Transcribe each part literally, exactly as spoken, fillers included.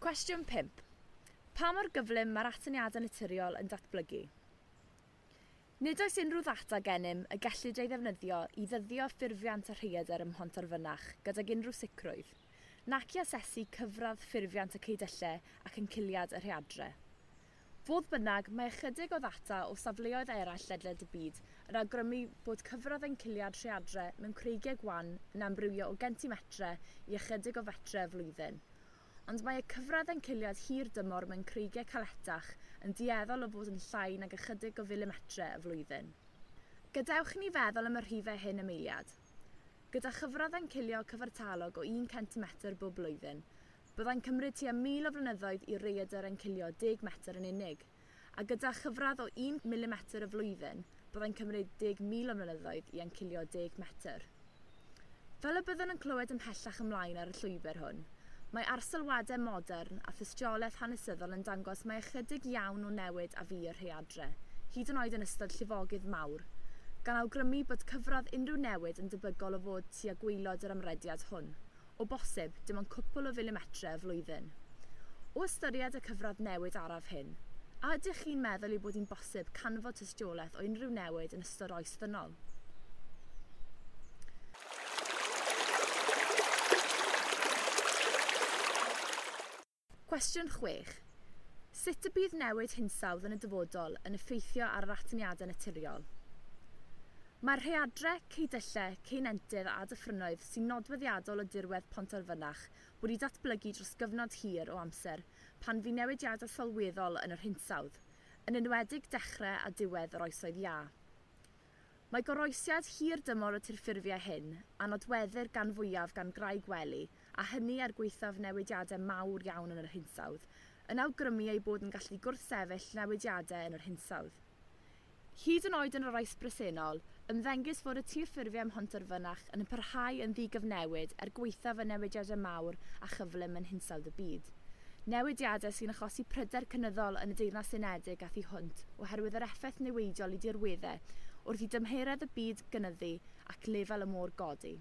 Cwestiwn pump. Pa mor gyflym mae'r atyniadau naturiol yn datblygu? Nid oes unrhyw ddata gennym y gellid ei ddefnyddio i ddyddio ffurfiant y rhaeadr ym Mhontarfynach gydag unrhyw sicrwydd, nac i asesu cyfradd ffurfiant y ceudyllau ac enciliad y rhaeadrau. Fodd bynnag, mae ychydig o ddata o safleoedd eraill ledled y byd yn awgrymu bod cyfradd enciliad rhaeadrau mewn creigiau gwan yn amrywio o gentimetrau i ychydig o fetrau y flwyddyn. Ond mae y cyfradd enciliad hir dymor mewn creigiau caletach yn dueddol o fod yn llai nag ychydig o filimetrau y flwyddyn. Gadewch i ni feddwl am y rhifau hyn am eiliad. Gyda chyfradd encilio cyfartalog o un centimetr bob blwyddyn, byddai'n cymryd tua mil o flynyddoedd i raeadr encilio deg metr yn unig, a gyda chyfradd o un milimetr y flwyddyn, byddai'n cymryd deg mil o flynyddoedd i encilio deg metr. Fel y byddwn yn clywed ymhellach ymlaen ar y llwybr hwn, mae arsylwadau modern a thystiolaeth hanesyddol yn dangos mai ychydig iawn o newid a fu i'r rhaeadrau, hyd yn oed yn ystod llifogydd mawr, gan awgrymu bod cyfradd unrhyw newid yn debygol o fod tua gwaelod yr amrediad hwn, o bosib dim ond cwpl o filimetrau y flwyddyn. O ystyried y cyfradd newid araf hyn, a ydych chi'n meddwl ei bod hi'n bosib canfod tystiolaeth o unrhyw newid yn ystod oes ddynol? Cwestiwn chwech. Sut y bydd newid hinsawdd yn y dyfodol yn effeithio ar yr atyniadau naturiol? Mae'r rhaeadrau, ceudyllau, ceunentydd a dyffrynnoedd sy'n nodweddiadol o dirwedd Pontarfynach wedi datblygu dros gyfnod hir o amser pan fu newidiadau sylweddol yn yr hinsawdd, yn enwedig dechrau a diwedd yr oesoedd iâ. Mae goroesiad hir dymor y tirffurfiau hyn, a nodweddir gan fwyaf gan graig wely, a hynny er gwaethaf newidiadau mawr iawn yn yr hinsawdd, yn awgrymu eu bod yn gallu gwrthsefyll newidiadau yn yr hinsawdd. Hyd yn oed yn yr oes bresennol, ymddengys fod y tirffurfiau ym Mhontarfynach yn parhau yn ddigyfnewid er gwaethaf y newidiadau mawr a chyflym yn hinsawdd y byd. Newidiadau sy'n achosi pryder cynyddol yn y Deyrnas Unedig a thu hwnt oherwydd yr effaith newidiol i dirweddau wrth i dymheredd y byd gynyddu ac lefel y môr godi.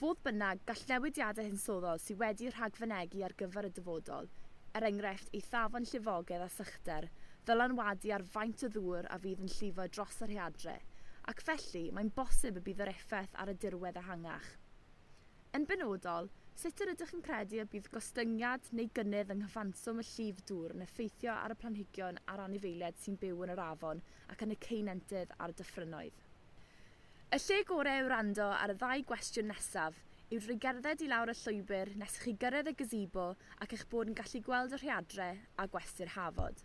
Fodd bynnag, gall newidiadau hinsoddol sydd wedi rhagfynegi ar gyfer y dyfodol, er enghraifft eithafon llifogydd a sychder, ddylanwadu ar faint o ddŵr a fydd yn llifo dros y rhaeadrau, ac felly mae'n bosib y bydd yr effaith ar y dirwedd ehangach. Yn benodol, sut yr ydych yn credu y bydd gostyngiad neu gynnydd yng nghyfanswm y llif dŵr yn effeithio ar y planhigion a'r anifeiliaid sy'n byw yn yr afon ac yn y ceunentydd a'r dyffrynnoedd? Y lle gorau i wrando ar y ddau gwestiwn nesaf yw drwy gerdded i lawr y llwybr nes i chi gyrraedd y gazebo ac eich bod yn gallu gweld y rhaeadrau a gwesty'r Hafod.